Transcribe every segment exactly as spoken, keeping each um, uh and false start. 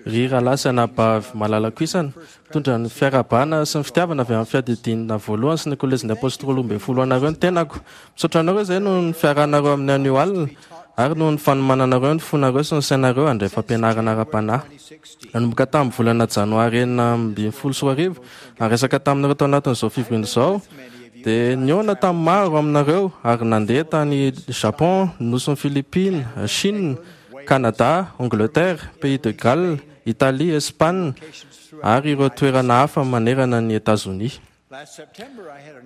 Ry rahalahy sy anabavy malalako isany, mitondra ny fiarahabana sy ny fitiavana avy amin'ny fiadidiana voalohany sy ny kolejin'ny apôstôly roa ambin'ny folo anareo ny tenako. Misaotra anareo izay noho ny fiarahanareo amin'ny anio alina ary noho ny fanomananareo ny fonareo sy ny sainareo handray fampianarana ara-panahy. Nanomboka tamin'ny volana janoary enina ambin'ny folo sy roa arivo, niresaka taminareo tao anatin'izao fivoriana izao, dia nihaona tamin'ny maro aminareo ary nandeha tany Japon, Nosin'i Philippines, Chine, Canada, Angleterre, Pays de Galles, Italie, Espagne ary ireo toerana hafa manerana ny Etazonia.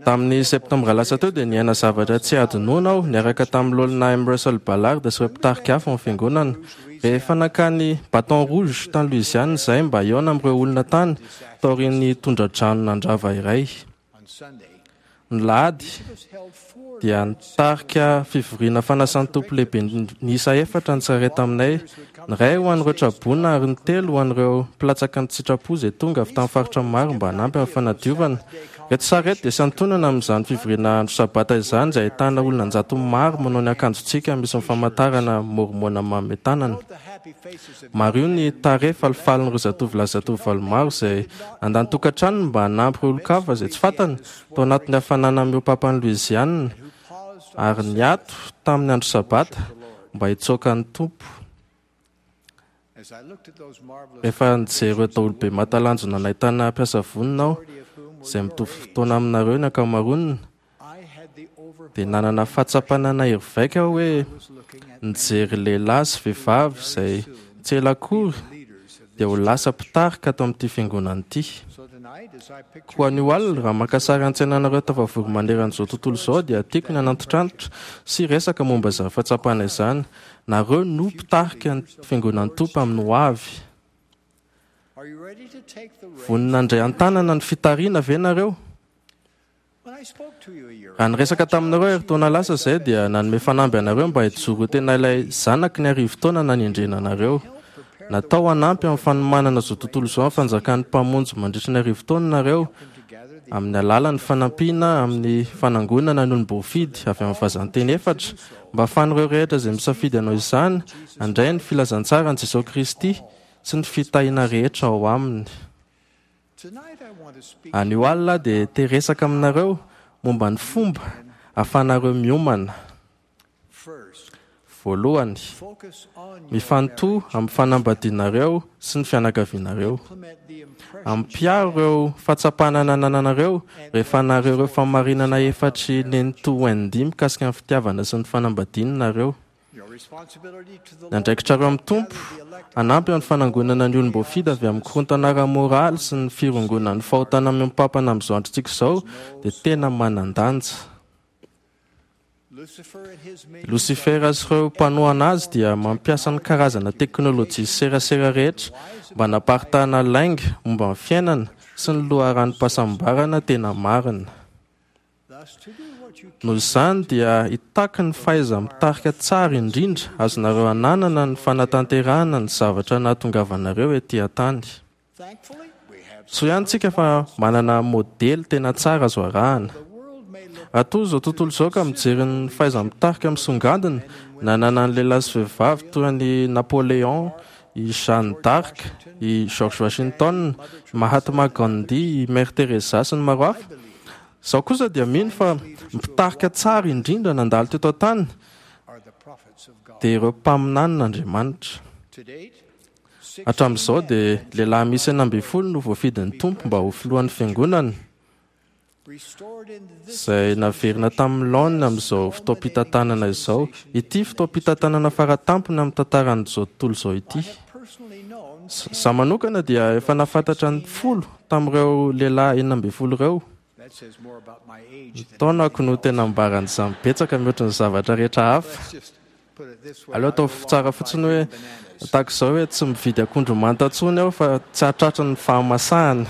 Tamin'ny septambra lasa teo dia niaina zavatra tsy hadinoana aho niaraka tamin'ny Loholona M. Russell Ballard sy ireo mpitarika hafa ao amin'ny fiangonana. Rehefa nankany Baton Rouge tany Louisiane izahay mba hihaona amin'ireo olona tany taorian'ny tondra-drano nandrava iray. Ny lahady dia nitarika fivoriana fanasan'ny Tompo lehibe niisa efatra ny tsirairay taminay, ny iray ho an'ireo traboina ary ny telo ho an'ireo mpilatsaka ny tsitrapo izay tonga avy tamin'ny faritra maro mba hanampy amin'ny fanadiovana. Ireto sary ireto dia santonana amin'izany fivoriana andro sabata izany izay ahitana olona an-jatony maro manao ny akanjontsika misy ny famantarana môrmôna manome tanana. Mariho ny tarehy falifalin'ireo zatovolahy sy zatovovavy maro izay nandany tokantranony mba hanampy ireo olon-kafa izay tsy fantany tao anatin'ny hafanana mihoa-papan'i Louisiane ary niato tamin'ny andro sabata mba hitsoaka ny Tompo. Rehefa nijery ireo daholobe mahatalanjona nahitana mpiasa vonona aho, izay mitovy fotoana aminareo ny ankamaroany, dia nanana fahatsapana nahery vaika aho hoe nijery lehilahy sy vehivavy izay tsy ela akory dia ho lasa mpitarika ato amin'ity fiangonana ity. Koa anio alina, raha maka sary an-tsaina anareo tafavory manerana izao tontolo izao, dia tiako ny hanantitrantitra sy hiresaka momba izany fahatsapana izany. Nareo no mpitarika ny fiangonan'ny Tompo amin'ny ho avy. Vonona handray an-tanana ny fitariana ve nareo? Raha niresaka taminareo herintaona lasa izay dia nanome fanamby anareo mba hijoro ho tena ilay zanaky ny arivo taona nanendrena anareo. Natao hanampy amin'ny fanomanana izao tontolo izao amin'ny fanjakan'ny Mpamonjy mandritra ny arivo taona nareo amin'ny alalan'ny fanampiana amin'ny fanangonana ny olom-boafidy avy amin'ny vazan-teny efatra mba hahafahan'ireo rehetra izay misafidy hanao izany handray ny filazantsaran'i Jesosy Kristy sy ny fitahiana rehetra ao aminy. Anio alina dia te hiresaka aminareo momba ny fomba ahafahanareo miomana. Voalohany, mifantoha amin'ny fanambadianareo sy ny fianakavianareo. Ampiharo ireo fahatsapana nanananareo rehefa nareo ireo fahamarinana efatry Nenitoa Wendy mikasika ny fitiavana sy ny fanambadiana nareo. Ny andraikitrareo amin'ny Tompo hanampy amin'ny fanangonana ny olom-boafidy avy amin'ny korontana ara-moraly sy ny firongonan'ny fahotana mihoa-pampana amin'izao androntsika izao dia tena manan-danja. Losifera sy ireo mpanohana azy dia mampiasa ny karazana teknôlôjia sy serasera rehetra mba hanaparitahana lainga momba ny fiainana sy ny loharanom-pahasambarana tena marina. Noho izany dia hitaky ny fahaiza-mitarika tsara indrindra azonareo ananana ny fanatanterahana ny zavatra nahatongavanareo ety an-tany. Soa ihany tsika fa manana modely tena tsara azo arahana. Raha toa izao tontolo izao ka mijery ny fahaiza-mitarika misongadina nananan'ny lehilahy sy vehivavy toy an'i Napoléon, i Jeanne d'Arc, i George Washington, i Mahatma Gandhi, i Mère Teresa sy ny maro hafa, izaho kosa dia mino fa mpitarika tsara indrindra nandalo teto an-tany dia ireo mpaminanin'Andriamanitra. Hatramin'izao dia lehilahy misy enina ambin'ny folo no voafidin'ny Tompo mba ho filohan'ny fiangonana, izay naverina tamin'ny laoniny amin'izao fotoam-pitantanana izao, ity fotoam-pitantanana faratampony amin'ny tantaran'izao tontolo izao ity. Izaho manokana dia efa nahafantatra ny folo tamin'ireo lehilahy enina ambin'ny folo ireo. Ny taonako no tena ambaran'izany betsaka mihoatra ny zavatra rehetra hafa. Aleo atao tsara fotsiny hoe tahaka izao hoe tsy mividy akondro manta intsony aho fa tsy hahatratra ny fahamasahana.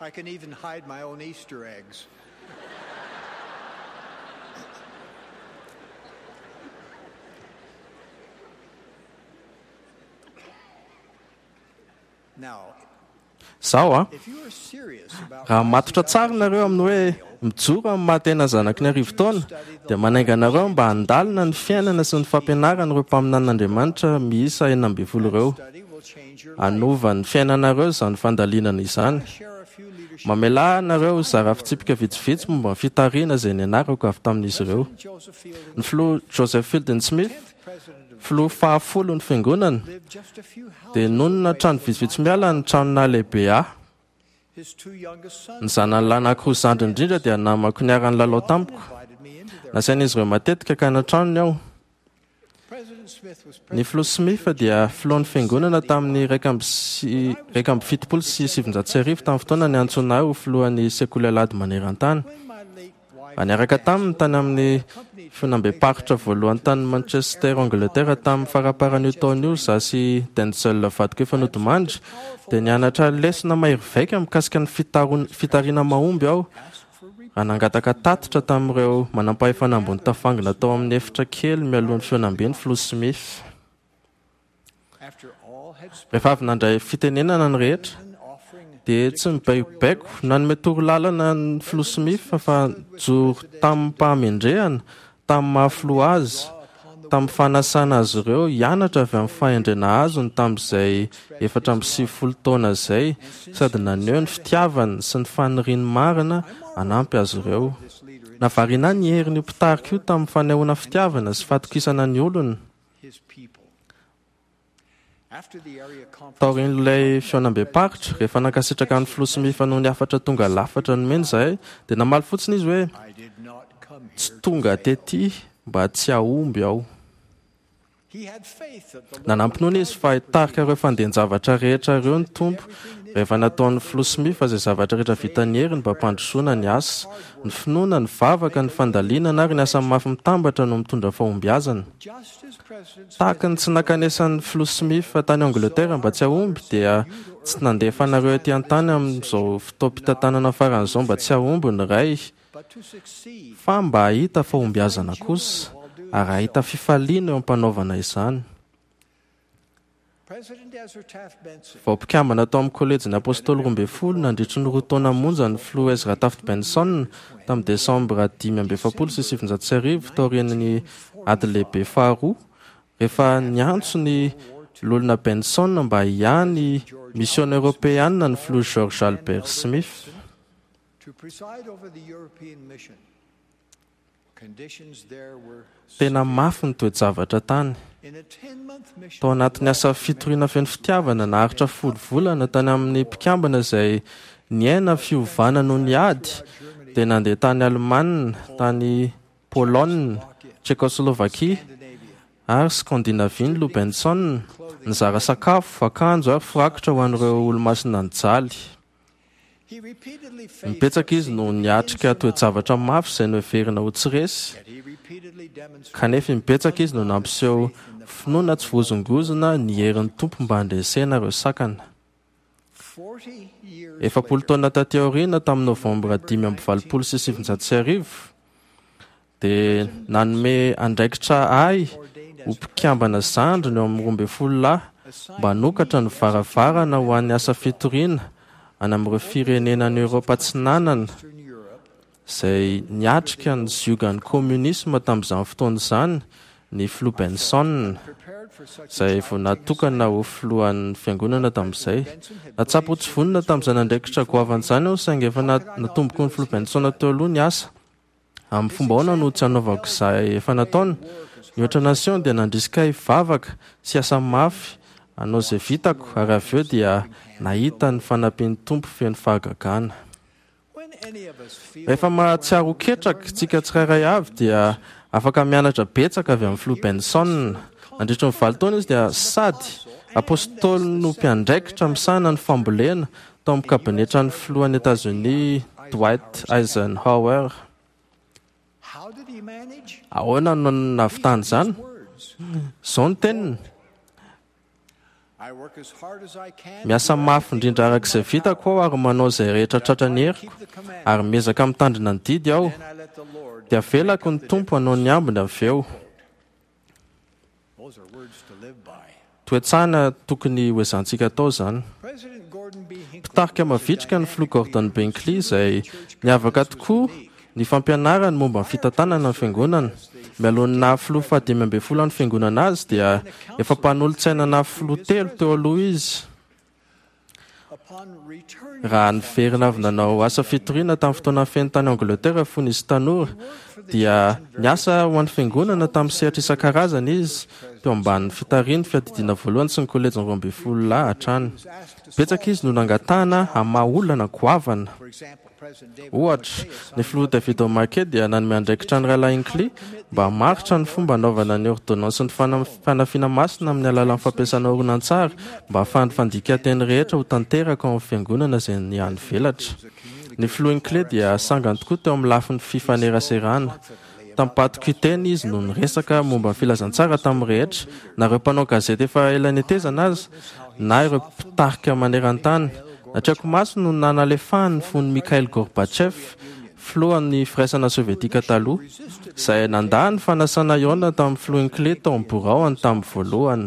I can even hide my own Easter eggs. Now, Zaho a, raha matotra tsara nareo amin'ny hoe mijoro amin'ny maha tena zanaky ny arivo taona, dia manainga anareo mba handalina ny fiainana sy ny fampianaran'ireo mpaminanin'Andriamanitra miisa enina ambin'ny folo ireo. Hanova ny fiainanareo izany fandalinana izany. Mamelà anareo zara fitsipika vitsivitsy momba ny fitarihana izay nianarako avy tamin'izy ireo. Ny filoha Joseph Fielding Smith, filoha fahafolo ny fiangonana, dia nonina trano vitsivitsy miala ny trano nahalehibe ahy. Ny zanany lahy anankiroa zandriny indrindra dia namako niara-nilalao tamiko. Nasain'izy ireo matetika ka an-tranony aho. Ny filoha Smith dia filohan'ny fiangonana tamin'ny iraika amby sy iraika amby fitopolo sy sivinjato sy arivo tamin'ny fotoana niantsoana ahy ho filohan'ny sekoly alahady maneran-tany. Raha niaraka taminy tany amin'ny fihaonambem-paritra voalohany tany Manchester, Angleterre tamin'ny faramparan'io taona io, izaho sy Denzel vadiko efa nodimandry, dia nianatra lesona mahery vaika mikasika ny fitaron-, fitariana mahomby aho raha nangataka tatitra tamin'ireo manampahefana ambony tafangona tao amin'ny efitra kely mialohan'ny fihaonambe ny filoha Smith. Rehefa avy nandray fitenenana ny rehetra, dia tsy mibaikobaiko nanome torolalana ny filoha Smith fa nijoro tamim-pahamendrehana tamin'ny maha filoha azy, tamin'ny fanasana azy ireo hianatra avy amin'ny fahendrena azony tamin'izay efatra amby sivifolo taona izay, sady naneho ny fitiavany sy ny faniriany marina hanampy azy ireo. Nahavariana ny herin'io mpitarika io tamin'ny fanehoana fitiavana sy fatokisana ny olona. Taorian'ilay fihaonambem-paritra, rehefa nankasitraka ny filoha Smith noho ny hafatra tonga lafatra nomeny izahay, dia namaly fotsiny izy hoe tsy tonga tety mba tsy hahomby aho. Nanampy izy fa hitarika ireo fandehan-javatra rehetra ireo ny Tompo rehefa nataon'ny filoha Smith izay zavatra rehetra vitany heriny mba hampandrosoana ny asa. Ny finoana, ny vavaka, ny fandalinana ary ny asa mafy mitambatra no mitondra fahombiazana. Tahaka ny tsy nankanesan'ny filoha Smith tany Angleterre mba tsy hahomby, dia tsy nandefa anareo ety an-tany amin'izao fotoam-pitantanana faran'izao mba tsy hahomby ny Ray, fa mba hahita fahombiazana kosa ary hahita fifaliana eo am-panaovana izany. Vao mpikambana tao amin'ny kolejin'ny Apôstôly roa ambin'ny folo nandritry ny roa taona monja ny filoha Ezra Taft Benson tamin'ny desambra dimy amby efapolo sy sivinjato sy arivo taorian'ny ady lehibe faharoa, rehefa niantso ny loholona Benson mba hiahy misiona eoropeana ny filoha George Albert Smith. Tena mafy ny toe-javatra tany. Tao anatin'ny asa fitoriana feno fitiavana naharitra folo volana tany amin'ny mpikambana izay niaina fiovana noho ny ady, dia nandeha tany Alemana, tany Pologne, Tchécoslovaquie ary Scandinavie ny Lou Benson, nizara sakafo, akanjo ary firakotra ho an'ireo olomasina nijaly. Nibetsaka izy no niatrika toe-javatra mafy izay noheverina ho tsy resy, kanefa nibetsaka izy no nampiseho finoana tsy voazongozona ny herin'ny Tompo mba handresena ireo sakana. Efapolo taona taty aoriana, tamin'ny novambra dimy amby valopolo sy sivinjato sy arivo, dia nanome andraikitra ahy ho mpikambana zandriny eo amin'ny roa ambin'ny folo lahy mba hanokatra ny varavarana ho an'ny asa fitoriana any amin'ireo firenena any Eoropa Atsinanana izay niatrika ny ziogan'ny kominisma tamin'izany fotoana izany ny filoha Benson, izay vao natokana ho filohan'ny fiangonana tamin'izay. Nahatsapa ho tsy vonona tamin'izany andraikitra goavana izany aho, saingy efa natomboko ny filoha Benson teo aloha ny asa. Amin'ny fomba ahoana no tsy hanaovako izay efa nataony? Ny ohatra nasehony dia nandrisika ahy hivavaka sy asa mafy hanao izay vitako, ary avy eo dia nahita ny fanampian'ny Tompo feno fahagagana. Rehefa mahatsiaro ho ketraka isika tsirairay avy dia afaka mianatra betsaka avy amin'ny filoha Benson. Nandritra ny valo taona izy dia sady apôstôly no mpiandraikitra misahana ny fambolena tao amin'ny kabinetran'ny filohan'i Etazonia Dwight Eisenhower. Ahoana no nahavitany izany? Izao ny teniny: miasa mafy indrindra araka izay vitako aho ary manao izay rehetra tratra ny heriko, ary miezaka mitandrina ny didy aho, dia avelako ny Tompo hanao ny ambiny avy eo. Toe-tsaina tokony hoezahantsika atao izany. Mpitarika mavitrika ny filoha Gordon B. Hinckley izay niavaka tokoa ny fampianarany momba ny fitantanana ny fiangonana. Mialohan'ny naha filoha fahadimy ambin'ny folo an'ny fiangonana azy dia efa mpanolotsaina na filoha telo teo aloha izy. Raha niverina avy nanao asa fitoriana tamin'ny fotoana feno tany Angleterre fony izy tanora dia niasa ho an'ny fiangonana tamin'ny sehatra isan-karazany izy teo ambanin'ny fitarihan'ny fiadidiana voalohany sy ny kolejin'ny roa ambin'ny folo lahy hatrany. Betsaka izy no nangatahana hamaha olana goavana. Ohatra, ny filoha David O. McKay dia nanome andraikitra ny rahalahy Hinckley mba hamaritra ny fomba hanaovana ny ôrdônansin'ny fanafiana masina amin'ny alalan'ny fampiasana horonantsary mba hahafahan'ny fandikan-teny rehetra ho tanteraka ao amin'ny fiangonana izay nihanivelatra. Ny filoha Hinckley dia sangany tokoa teo amin'ny lafiny fifaneraserana. Tampatokiteny izy no niresaka momba ny filazantsara tamin'ny rehetra, na ireo mpanao gazety efa ela netezana aza, na ireo mpitarika maneran-tany. Natrehako maso no nanalefahany ny fon'i Mikhail Gorbatchev, filohan'ny firaisana sovietika taloha, izay nandà ny fanasana hihaona tamin'ny filoha Hinckley tao amin'ny biraony tamin'ny voalohany.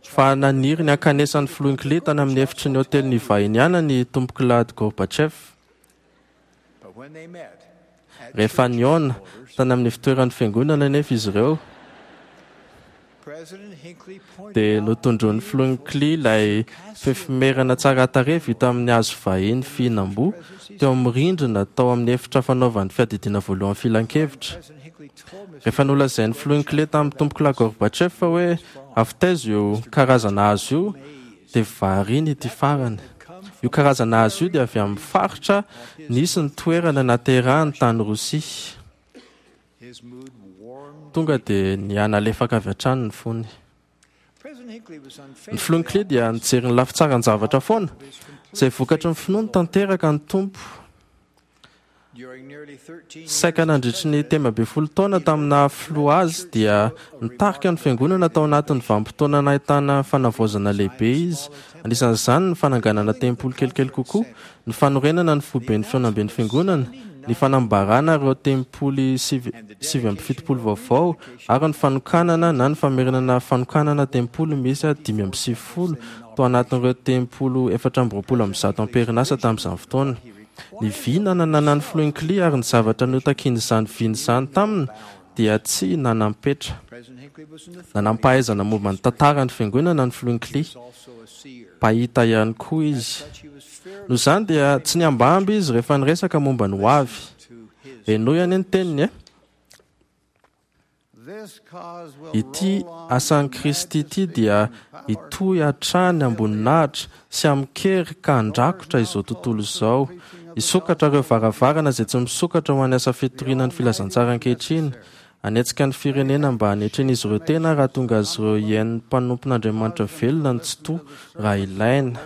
Fa naniry ny hankanesan'ny filoha Hinckley tany amin'ny efitry ny hôtely nivahiniana ny tompokolahy Gorbatchev. Rehefa nihaona tany amin'ny fitoeran'ny fiangonana anefa izy ireo, dia notondroin'ny filoha Hinckley ilay fefimerana tsara tarehy vita amin'ny hazo vahiny fihinam-boa teo amin'ny rindrina tao amin'ny efitra fanaovan'ny fiadidiana voalohany filan-kevitra. Rehefa nolazain'ny filoha Hinckley tamin'ny tompokolahy Gorbatchev fa hoe avy taiza io karazana hazo io, dia variana ity farany. Io karazana hazo io dia avy amin'ny faritra nisy ny toerana naterahany tany Rosia. Tonga dia nihanalefaka avy hatrany ny fony. Ny filoha Hinckley dia nijery ny lafitsaran-javatra foana, izay vokatry ny finoany tanteraka ny Tompo. Saika nandritry ny telo ambin'ny folo taona tamin'ny filoha azy dia nitarika ny fiangonana tao anatin'ny vanim-potoana nahitana fanavaozana lehibe izy. Anisan'izany ny fananganana tempoly kelikely kokoa, ny fanorenana ny foiben'ny fihaonamben'ny fiangonana, ny fanambarana ireo tempoly sivy amby fitopolo vaovao ary ny fanokanana na ny famerenana fanokanana tempoly miisa dimy amby sivifolo tao anatin'ireo tempoly efatra amby roapolo amby zato am-perinasa tamin'izany fotoana. Ny vina nananan'ny filoha Hinckley ary ny zavatra notakian'izany vina izany taminy dia tsy nanam-petra. Nanam-pahaizana momba ny tantaran'ny fiangonana ny filoha Hinckley. Mpahita ihany koa izy. Noho izany dia tsy niambamby izy rehefa niresaka momba ny hoavy. Henoy anie ny teniny e. Ity asan'i Kristy ity dia hitohy hatrany amboninahitra sy amin-kery ka handrakotra izao tontolo izao. Hisokatra ireo varavarana izay tsy misokatra ho an'ny asa fitoriana ny filazantsara ankehitriny. Hanetsika ny firenena mba hanetren'izy ireo tena raha tonga azy ireo hihaino ny mpanompon'Andriamanitra velona ny tsitoha raha ilaina.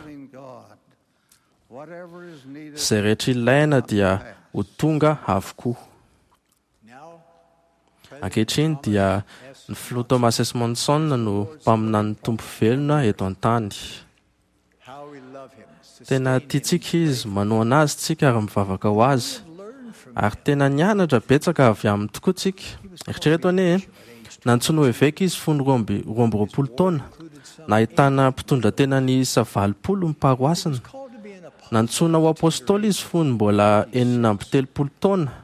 Izay rehetra ilaina dia ho tonga avokoa. Ankehitriny dia ny filoha Thomas S. Monson no mpaminanin'ny Tompo velona eto an-tany. Tena tiantsika izy, manohana azy tsika ary mivavaka ho azy. Ary tena nianatra betsaka avy aminy tokoa tsika. Eritrereto anie, nantsoina ho eveka izy fony roa amby roa amby roapolo taona. Nahitana mpitondra tena niisa valopolo ny paroasina. Nantsoina ho apôstôly izy fony mbola enina amby telopolo taona.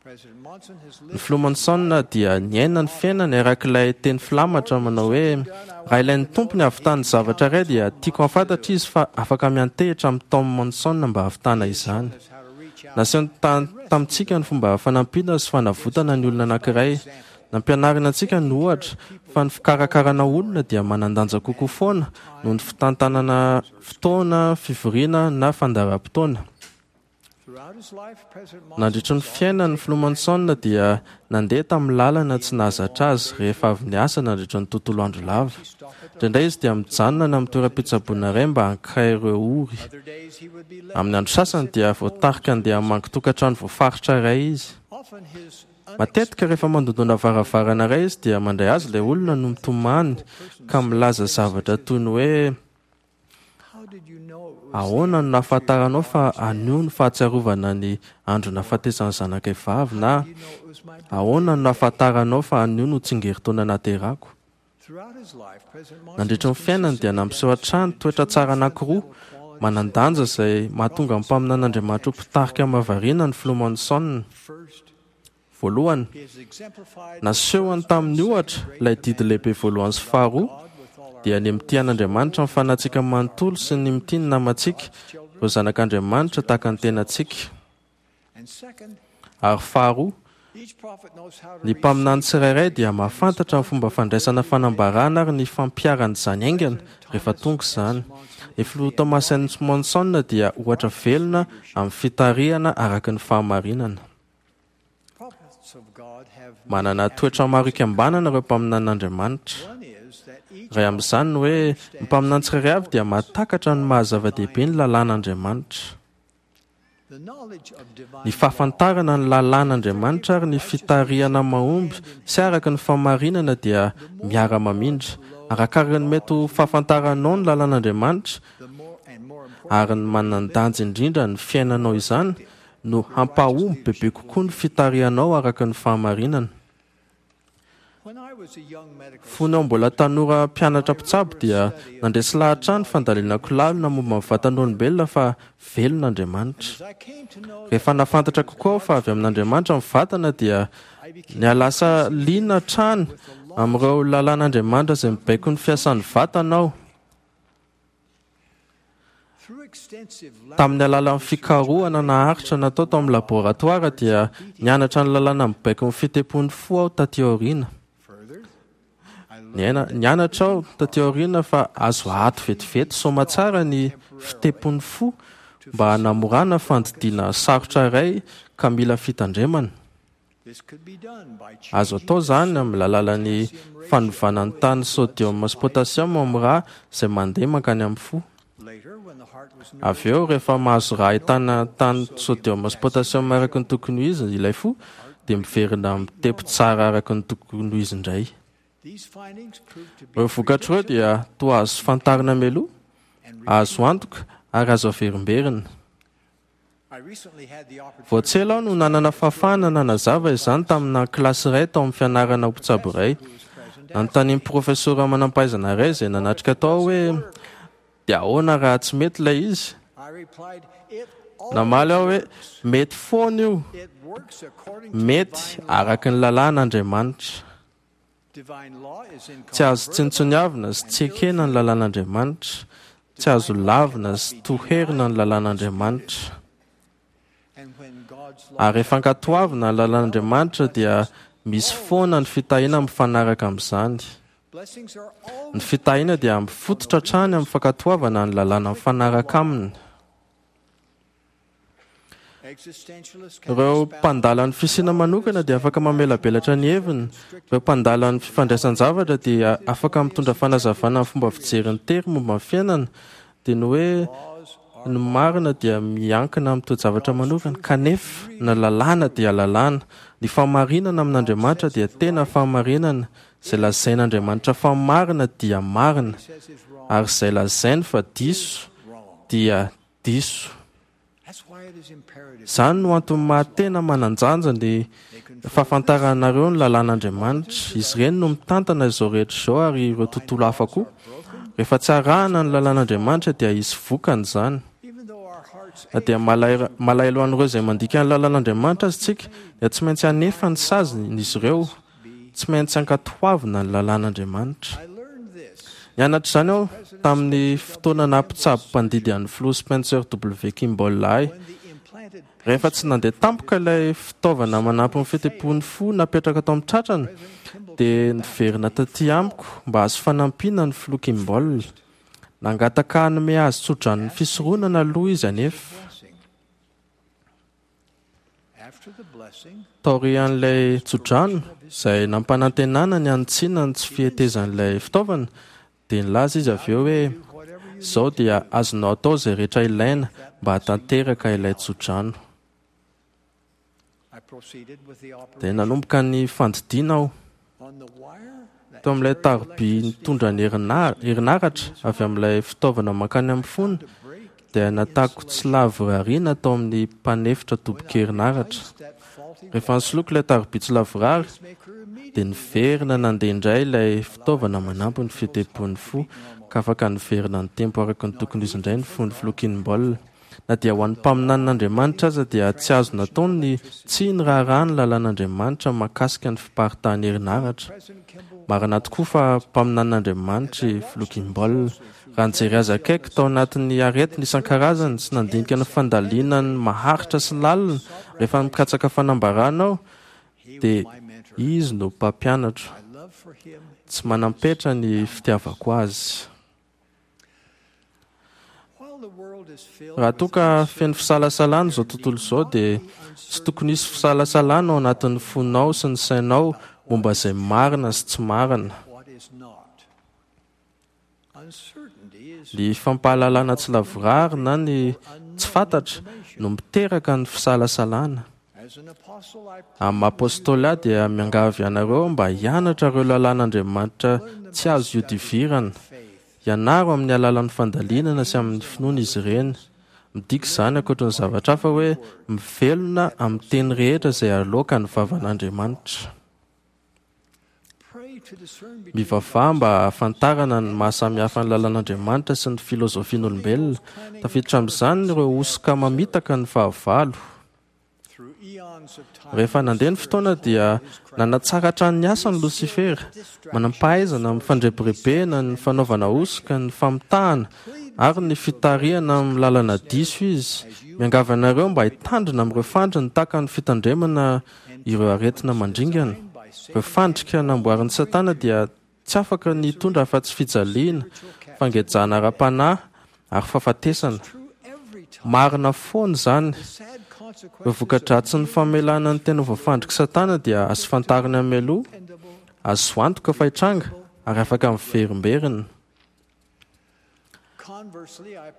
Ny filoha Monson dia niaina ny fiainany arak'ilay teny filamatra manao hoe raha ilain'ny Tompo ny hahavitany zavatra iray dia tiako hahafantatra izy fa afaka miantehitra amin'ny Tom Monson mba hahavitana izany. Nasehony tamintsika ny fomba fanampiana sy fanavotana ny olona anankiray. Nampianarina antsika ny ohatra fa ny fikarakarana olona dia manan-danja kokoa foana noho ny fitantanana fotoana, fivoriana na fandaharam-potoana. Nandritry ny fiainan'ny filoha Monson dia nandeha tamin'ny lalana tsy nahazatra azy rehefa avy niasa nandritry ny tontolo andro lava. Indraindray izy dia mijanona any amin'ny toeram-pitsaboana iray mba hankay ireo ory. Amin'ny andro sasany dia voatarika handeha hamangy tokantrano voafaritra iray izy. Matetika rehefa mandondona varavarana iray izy dia mandray azy ilay olona no mitomany ka milaza zavatra toy ny hoe ahoana no nahafantaranao fa anio ny fahatsiarovana ny andro nahafatesan'ny zanakay vavy na ahoana no nahafantaranao fa anio no tsingerin-taona naterako. Nandritra ny fiainany dia nampiseho hatrany toetra tsara anankiroa manan-danja izay mahatonga ny mpaminan'Andriamanitra ho mpitarika mahavariana ny filoha Monson. Voalohany, nasehony tamin'ny ohatra ilay didy lehibe voalohany sy faharoa, dia ny mitia an'Andriamanitra ny fanahintsika manontolo sy ny mitia ny namantsika, ireo zanak'Andriamanitra tahaka ny tenantsika. Ary faharoa, ny mpaminany tsirairay dia mahafantatra ny fomba fandraisana fanambarana ary ny fampiharana izany haingana rehefa tonga izany. Ny filoha Thomas S. Monson dia ohatra velona amin'ny fitarihana araka ny fahamarinana. Manana toetra maro ikambanana ireo mpaminan'Andriamanitra. Iray amin'izany ny hoe ny mpaminany tsirairay avy dia mahatakatra ny maha-zava-dehibe ny lalàn'Andriamanitra. Ny fahafantarana ny lalàn'Andriamanitra ary ny fitarihana mahomby sy araka ny fahamarinana dia miara-mamindra. Arakaraka ny mety ho fahafantaranao ny lalàn'Andriamanitra ary ny manan-danja indrindra ny fiainanao izany no hampahomby bebe kokoa ny fitarihanao araka ny fahamarinana. Fony aho mbola tanora mpianatra mpitsabo dia nandresy lahatra ny fandalinako lalina momba ny vatan'olombelona fa velona Andriamanitra. Rehefa nahafantatra kokoa aho fa avy amin'Andriamanitra ny vatana dia nialasa liana hatrany amin'ireo lalàn'Andriamanitra izay mibaiko ny fiasan'ny vatana aho. Tamin'ny alalan'ny fikarohana naharitra natao tao amin'ny laboratoara dia nianatra ny lalàna mibaiko ny fitepon'ny fo aho taty aoriana. Nianatra aho taty aoriana fa azo ato vetivety soamantsara ny fitepon'ny fo mba hanamorana fandidiana sarotra iray ka mila fitandremana. Azo atao izany amin'ny alalan'ny fanovana ny tany sodium sy potassium amin'ny rà izay mandeha mankany amin'ny fo. Avy eo, rehefa mahazo rà ahitana tany sodium sy potassium araka ny tokony ho izy ilay fo, dia miverina mitepo tsara araka ny tokony ho izy indray. Ireo vokatra ireo dia toa azo fantarina mialoha, azo antoka ary azo averimberina. Vao tsy ela aho no nanana fahafahana nanazava izany tamina kilasy iray tao amin'ny fianarana ho mpitsabo iray. Nanontanian'ny profesora manam-pahaizana iray izay nanatrika tao hoe dia ahoana raha tsy mety ilay izy? Namaly aho hoe mety foana io, mety araka ny lalàn'Andriamanitra. Tsy azo tsinontsiniavina sy tsy ekena ny lalàn'Andriamanitra, tsy azo lavina sy toherina ny lalàn'Andriamanitra. Ary rehefa ankatoavina ny lalàn'Andriamanitra dia misy foana ny fitahiana mifanaraka amin'izany. Ny fitahiana dia mifototra hatrany amin'ny fankatoavana ny lalàna mifanaraka aminy. Ireo mpandala ny fisiana manokana dia afaka mamelabelatra ny heviny. Ireo mpandala ny fifandraisan-javatra dia afaka mitondra fanazavana ny fomba fijery ny tery momba ny fiainana. Dia ny hoe ny marina dia miankina amin'ny toe-javatra manokana, kanefa ny lalàna dia lalàna. Ny fahamarinana amin'Andriamanitra dia tena fahamarinana. Izay lazain'Andriamanitra fa marina dia marina, ary izay lazainy fa diso dia diso. Izany no antony mahatena manan-danja ny fahafantaranareo ny lalàn'Andriamanitra. Izy ireny no mitantana izao rehetra izao ary ireo tontolo hafa koa. Rehefa tsy arahana ny lalàn'Andriamanitra dia hisy vokany izany. Na dia malahelo an'ireo izay mandika ny lalàn'Andriamanitra aza isika, dia tsy maintsy hanefa ny saziny izy ireo. Tsy maintsy ankatoavina ny lalàn'Andriamanitra. Nianatra izany aho tamin'ny fotoana nampitsabo mpandidy an'ny filoha Spencer W. Kimball ahy. Rehefa tsy nandeha tampoka ilay fitaovana manampy ny fitepon'ny fo napetraka tao amin'ny tratrany, dia niverina taty amiko mba hahazo fanampiana ny filoha Kimball. Nangataka hanome azy tsodranon'ny fisoronana aloha izy anefa. Taorian'ilay tsodrano izay nampanantenana ny hanitsiana ny tsy fihetezan'ilay fitaovana, dia nilaza izy avy eo hoe izao dia azonao atao izay rehetra ilaina mba hahatanteraka ilay tsodrano. Dia nanomboka ny fandidiana aho. Teo amin'ilay taroby nitondra ny herinaratra avy amin'ilay fitaovana mankany amin'ny fony, dia natako tsy lavorariana tao amin'ny mpanefitra tobin-kerinaratra. Rehefa nisoloiko ilay taroby tsy lavorary dia niverina nandeha indray ilay fitaovana manampy ny fitempon'ny fo ka afaka niverina nitempo araka ny tokony izy indray ny fon'ny filoha Kimball. Na dia ho an'ny mpaminanin'Andriamanitra aza dia tsy azo natao ny tsy niraharaha ny lalàn'Andriamanitra mahakasika ny fiparitahan'ny herinaratra. Marina tokoa fa mpaminanin'Andriamanitra i filoha Kimball. Raha nijery azy akaiky tao anatin'ny aretina isan-karazany sy nandinika ny fandalinany maharitra sy lalina rehefa mikatsaka fanambarana aho, dia izy no mpampianatro. Tsy manam-petra ny fitiavako azy. Raha toa ka feno fisalasalana izao tontolo izao dia tsy tokony hisy fisalasalana ao anatin'ny fonao sy ny sainao momba izay marina sy tsy marina. Ny fampahalalana tsy lavorary na ny tsy fantatra no miteraka ny fisalasalana. Amin'ny maha apôstôly ahy dia miangavy anareo mba hianatra ireo lalàn'Andriamanitra tsy azo ihodivirana. Ianaro amin'ny alalan'ny fandalinana sy amin'ny finoana izy ireny. Midika izany ankoatra ny zavatra hafa hoe mivelona amin'ny teny rehetra izay aloaka ny vavan'Andriamanitra. Mivavaha mba hahafantarana ny mahasamihafa ny lalàn'Andriamanitra sy ny filôzôfian'olombelona. Tafiditra amin'izany ireo hosoka mamitaka ny fahavalo. Rehefa nandeha ny fotoana dia nanatsara hatrany ny asany Losifera, manam-pahaizana amin'ny fandrebirebena, ny fanaovana hosoka, ny famitahana ary ny fitarihana amin'ny lalana diso izy. Miangavy anareo mba hitandrina amin'ireo fandriny tahaka ny fitandremana ireo aretina mandringana. Ireo fandrika namboarin'i Satana dia tsy afaka ny hitondra afa-tsy fijaliana, fangejana ara-panahy ary fahafatesana. Marina foana izany. Ireo voka-dratsin'ny famelana ny tena voafandrik'i Satana dia azo fantarina mialoha, azo antoka fa hitranga ary afaka miverimberina.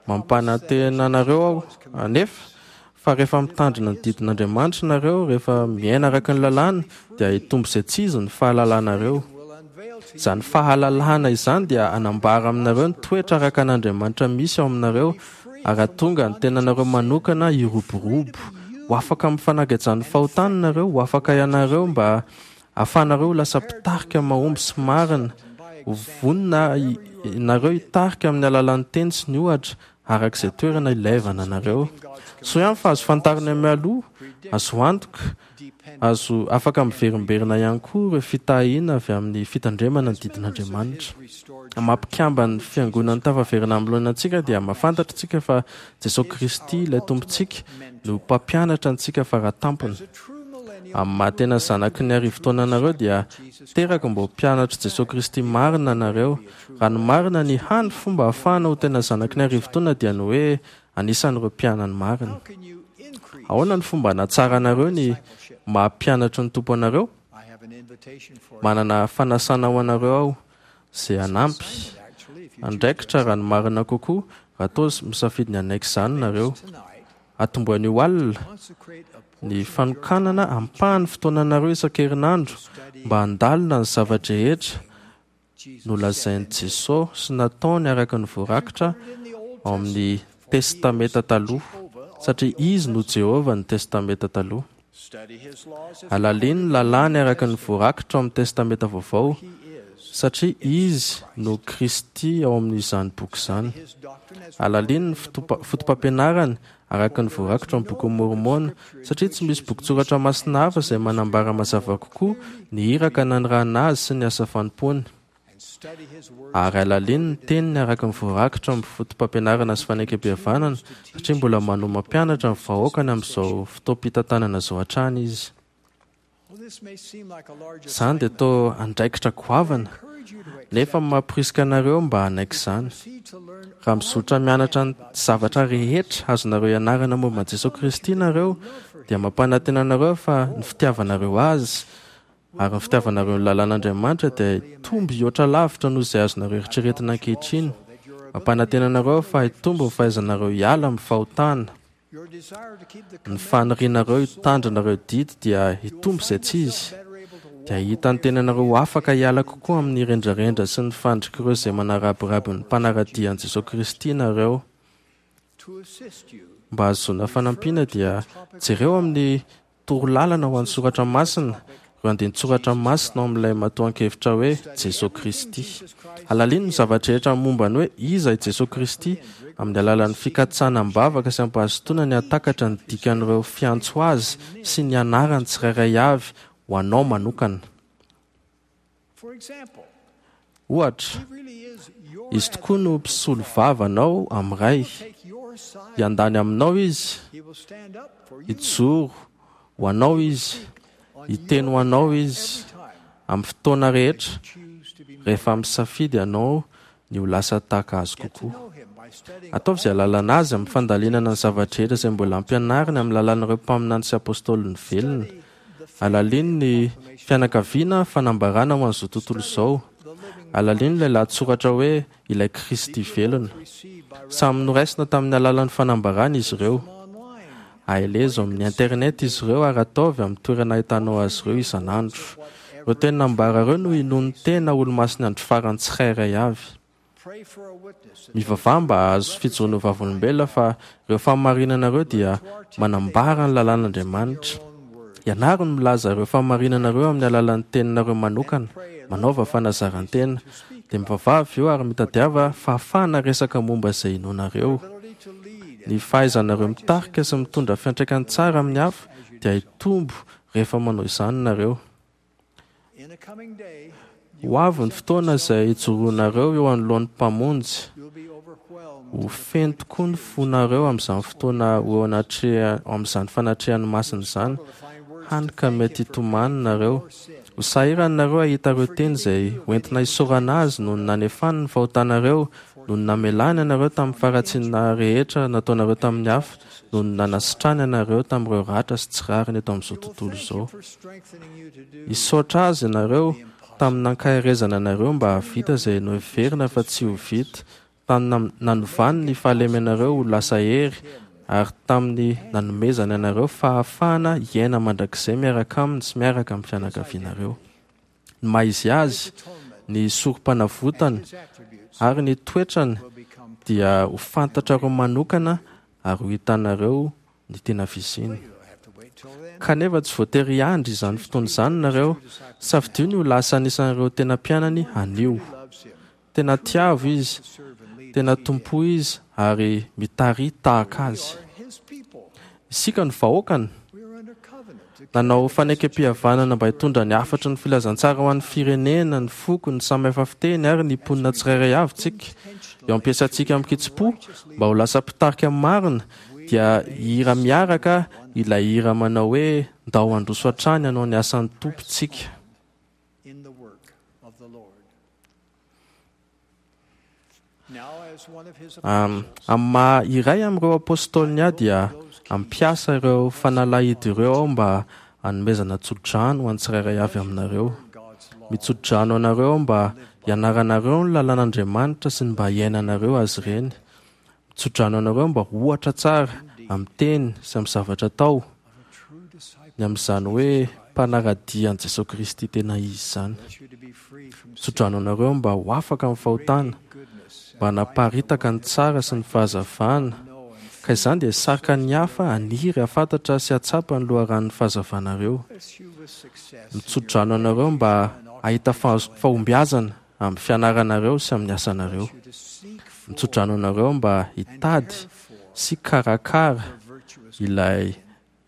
Mampanantena anareo aho anefa fa rehefa mitandrina ny didin'Andriamanitra nareo, rehefa miaina araka ny lalàna, dia hitombo izay tsy izy ny fahalalanareo. Izany fahalalana izany dia hanambara aminareo ny toetra araka an'Andriamanitra misy ao aminareo ary hahatonga ny tenanareo manokana hiroborobo. Ho afaka amin'ny fanagajan'ny fahotana nareo, ho afaka ianareo mba ahafahanareo ho lasa mpitarika mahomby sy marina. Ho vonona nareo hitarika amin'ny alalan'ny teny sy ny ohatra araka izay toerana ilaivana anareo. Soa ihany fa azo fantarina mialoha, azo antoka, azo afaka miverimberina ihany koa ireo fitahiana avy amin'ny fitandremana ny didin'Andriamanitra. Mampikamba ny fiangonan'ny tafaverina amin'ny laoniny antsika dia mahafantatra isika fa Jesosy Kristy ilay Tompontsika no mpampianatra antsika faratampony. Amin'ny maha tena zanaky ny arivo taona anareo dia teraka mba ho mpianatr'i Jesosy Kristy marina anareo. Raha ny marina, ny hany fomba ahafahana ho tena zanaky ny arivo taona dia ny hoe anisan'ireo mpianany marina. Ahoana ny fomba hanatsaranareo ny maha mpianatry ny Tompo anareo? Manana fanasana ho anareo aho izay hanampy andraikitra raha ny marina kokoa raha toa misafidy ny hanaiky izany nareo. Atombohy anio alina ny fanokanana ampahan'ny fotoananareo isan-kerinandro mba handalina ny zava-drehetra nolazain'i Jesosy sy nataony araka ny voarakitra ao amin'ny Testamenta Taloha, satria izy no Jehovah ny Testamenta Taloha. Alalino ny lalàny araka ny voarakitra ao amin'ny Testamenta Vaovao, satria izy no Kristy ao amin'izany boky izany. Alalino ny foto-pampianarany araka ny voarakitra ao amin'ny bokin'i Môrmôna, satria tsy misy bokin-tsoratra masina hafa izay manambara mazava kokoa ny iraka nanirahana azy sy ny asa fanompoany. Ary alalino ny teniny araka ny voarakitra ao amin'ny foto-pampianarana sy fanekempihavanana, satria mbola manohy mampianatra ny vahoakany amin'izao fotoam-pitantanana izao hatrany izy. Izany dia toa andraikitra goavana, nefa mamporisika anareo mba hanaiky izany. Raha mizotra mianatra ny zavatra rehetra azonareo ianarana momba an'i Jesosy Kristy nareo, dia mampanantena anareo fa ny fitiavanareo azy ary ny fitiavanareo ny lalàn'Andriamanitra dia hitombo hihoatra lavitra noho izay azonareo eritreretina ankehitriny. Mampanantena anareo fa hitombo ny fahaizanareo hiala amin'ny fahotana. Ny fanirianareo hitandrina ireo didy dia hitombo izay tsy izy. Dia hahita ny tenanareo ho afaka hiala kokoa amin'ny rendrarendra sy ny fandrik'ireo izay manarabiraby ny mpanara-dia an'i Jesosy Kristy nareo. Mba hahazoana fanampiana dia jereo amin'ny Torolalana ho an'ny soratra masina, ireo andinin-tsoratra masina ao amin'ilay matoan-kevitra hoe Jesoa Kristy. Alalino ny zavatra rehetra momba ny hoe iza i Jesoa Kristy amin'ny alalan'ny fikatsahana am-bavaka sy am-pahazotoana ny hahatakatra ny dikan'ireo fiantso azy sy ny anarany tsirairay avy ho anao manokana. Ohatra, izy tokoa no mpisolo vava anao amin'ny Ray. Hiandany aminao izy, hijoro ho anao izy, hiteny ho anao izy amin'ny fotoana rehetra rehefa misafidy ianao ny ho lasa tahaka azy kokoa. Ataovy izay ahalalana azy amin'ny fandalinana ny zavatra rehetra izay mbola ampianariny amin'ny alalan'ireo mpaminany sy apôstôliny velona. Alalino ny fianakaviana fanambarana ho an'izao tontolo izao. Alalino ilay lahatsoratra hoe ilay Kristy velona. Samy noraisina tamin'ny alalan'ny fanambarana izy ireo. Aelezo amin'ny internet izy ireo ary ataovy amin'ny toerana ahitanao azy ireo isan'andro. Ireo teny nambara ireo no inoan'ny tena olomasin'ny andro farany tsirairay avy. Mivavaha mba hahazo fijoroana ho vavolombelona fa ireo fahamarinanareo dia manambara ny lalàn'Andriamanitra. Ianaro ny milaza ireo fahamarinanareo amin'ny alalan'ny teninareo manokana. Manaova fanazaran-tena. Dia mivavaha avy eo ary mitadiava fahafahana resaka momba izay inoanareo. Ny fahaizanareo mitarika sy mitondra fiantraikany tsara amin'ny hafa dia hitombo rehefa manao izany nareo. Ho avy ny fotoana izay hijoroanareo eo anoloan'ny Mpamonjy. Ho feno tokoa ny fonareo amin'izany fotoana ho eo anatreha amin'izany fanatrehan'ny masina izany, hany ka mety hitomany nareo. Ho sahirana nareo hahita ireo teny izay hoentina hisaorana azy noho ny nanefany ny fahotanareo, noho ny namelany anareo tamin'ny faharatsiana rehetra nataonareo tamin'ny hafa, noho ny nanasitrany anareo tamin'ireo ratra sy tsy rariny eto amin'izao tontolo izao. Hisaotra azy ianareo tamin'ny nankaherezana anareo mba hahavita izay noheverina fa tsy ho vita, tamin'ny nanovany ny fahalemenareo ho lasa hery ary tamin'ny nanomezany anareo fahafahana hiaina mandrakizay miaraka aminy sy miaraka amin'ny fianakavianareo. Ny maha izy azy, ny sorom-panavotany ary ny toetrany dia ho fantatrareo manokana ary ho hitanareo ny tena fisiany. Kanefa tsy voatery hiandry izany fotoana izany nareo. Safidio ny ho lasa anisan'ireo tena mpianany anio. Tena tiavo izy, tena tompo izy ary mitari tahaka azy. Isika no vahoakany. Nanao fanekem-pihavanana mba hitondra ny hafatry ny filazantsara ho an'ny firenena, ny foko, ny samy hafa fiteny ary ny mponina tsirairay avy tsika. Eo ampiasantsika amin-kitsim-po mba ho lasa mpitarika marina dia hira miaraka ilay hira manao hoe ndao handroso hatrany hanao ny asan'ny Tompo tsika. Amin'ny maha iray amin'ireo apôstôliny ahy dia hampiasa ireo fanalahidy ireo aho mba hanomezana tsodrano ho an'ny tsirairay avy aminareo. Mitsodrano anareo aho mba hianaranareo ny lalàn'Andriamanitra sy ny mba hiainanareo azy ireny. Mitsodrano anareo mba ho ohatra tsara amin'ny teny sy amin'ny zavatra atao, ny amin'izany hoe mpanara-dia an'i Jesoa Kristy tena izy izany. Mitsodrano anareo mba ho afaka amin'ny fahotana, mba hanaparitaka ny tsara sy ny fahazavana, ka izany dia hisarika ny hafa haniry hahafantatra sy hahatsapa ny loharanon'ny fahazavanareo. Mitsodrano anareo mba hahita fahombiazana amin'ny fianaranareo sy amin'ny asanareo. Mitsodrano anareo mba hitady sy karakara ilay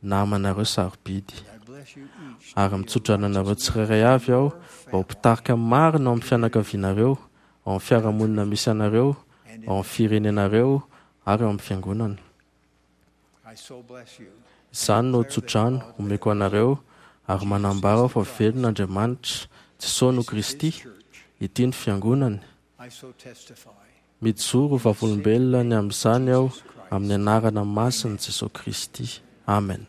namanareo sarobidy. Ary mitsodrano anareo tsirairay avy aho mba ho mpitarika marina ao amin'ny fianakavianareo, ao amin'ny fiarahamonina misy anareo, ao amin'ny firenenareo ary ao amin'ny fiangonana. Izany no tsodrano omeko anareo ary manambara aho fa velona Andriamanitra, Jesoa no Kristy, ity ny fiangonany. Mijoro ho vavolombelona ny amin'izany aho amin'ny anarana masin'i Jesoa Kristy. Amen.